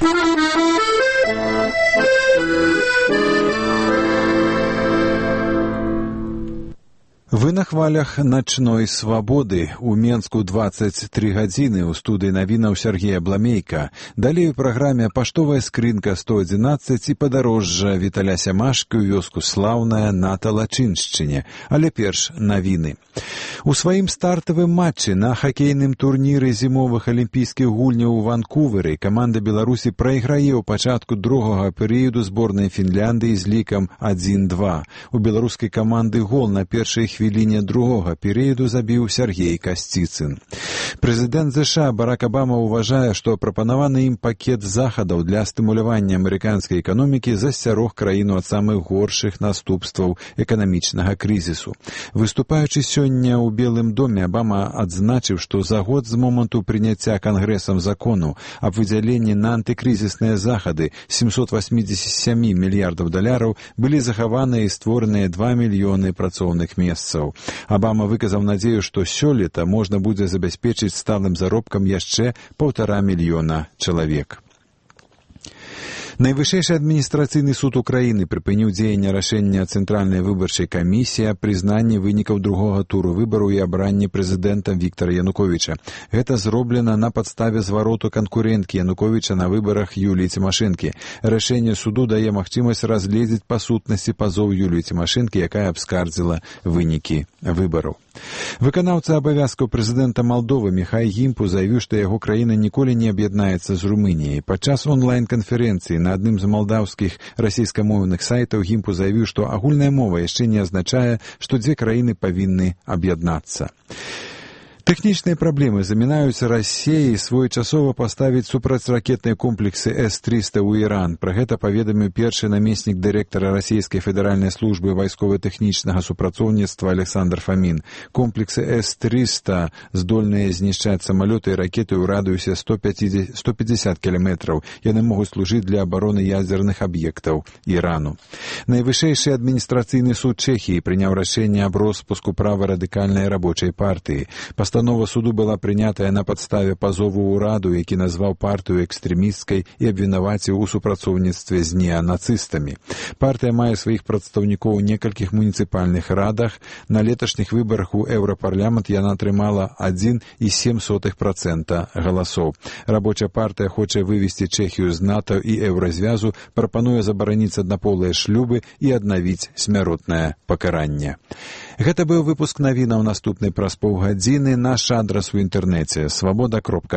Вы на хвалях начной свабоды. У Менску 23 гадзіны. У студыі навінаў Сергея Бламейка. Далей у праграме паштовая скрынка 111 і падарожжа Віталя Сямашкі ў вёску Слаўная на Талачыншчыне. Але перш навіны. У сваім стартавым матчы на хакейным турніры зімовых алімпійскіх гульняў у Ванкувері каманда Беларусі прайграе ў пачатку другога перыяду зборнай Фінляндыі з лікам 1-2. У беларускай каманды гол на першай хвіліне другога перыяду забіў Сергей Касціцын. Прэзідэнт ЗША Барак Абама ўважае, што прапанаваны ім пакет захадаў для стымулявання амерыканскай эканомікі засцярог краіну ад самых горшых наступстваў эканамічнага крызісу. Выступаючы сёння ў Белым доме, Абама адзначыў, што за год з моманту прыняцця Кангрэсам закону аб выдзяленні на антыкрызісныя захады 787 мільярдаў даляраў былі захаваныя і створаныя 2 мільёны працоўных месцаў. Абама выказаў надзею, што сёлета можна будзе забяспечыць сталым заробкам яшчэ 1,5 мільёна чалавек. Найвышэйшы адміністрацыйны суд Украіны прыпыніў дзеянне рашэння Цэнтральнай выбарчай камісіі аб прызнанні вынікаў другога туру выбараў і абранні прэзідэнта Віктара Януковіча. Гэта зроблена на падставе звароту канкурэнткі Януковіча на выбарах Юліі Цімашэнкі. Рашэнне суду дае магчымасць разгледзець па сутнасці пазоў Юліі Цімашэнкі, якая абскардзіла вынікі выбараў. Выканаўца абавязкаў прэзідэнта Малдовы Міхай Гімпу заявіў, што яго краіна ніколі не аб'яднаецца з Румыніяй. Падчас онлайн-канферэнцыі на адным з малдаўскіх расійскамоўных сайтаў Гімпу заявіў, што агульная мова яшчэ не азначае, што дзве краіны павінны аб'яднацца. Тэхнічныя праблемы замінаюць Расіі своечасова паставіць супрацьракетныя комплексы С-300 ў Іран. Пра гэта паведаміў першы намеснік дырэктара Расійскай федэральнай службы вайскова-тэхнічнага супрацоўніцтва Александр Фамін. Комплексы С-300 здольныя знішчаць самалёты і ракеты ў радыусе 150 кіламетраў. Яны могуць служыць для абароны ядзерных аб'ектаў Ірану. Найвышэйшы адміністрацыйны суд Чэхіі прыняў рашэнне аб роспуску праварадыкальнай рабочай партыі. Пастанова суду была прынятая на падставе пазову ўраду, які назваў партыю экстрэмісцкай і абвінаваціў у супрацоўніцтве з неанацыстамі. Партыя мае сваіх прадстаўнікоў у некалькіх муніцыпальных радах. На леташніх выбарах у Еўрапарламент яна атрымала 1,7% галасоў. Рабочая партыя хоча вывесці Чэхію з НАТО і Еўразвязу, прапануе забараніць аднаполыя шлюбы і аднавіць смяротнае пакаранне. Гэта быў выпуск навінаў. Наступны праз паўгадзіны. Наш адрас у інтэрнэце свабода.орг.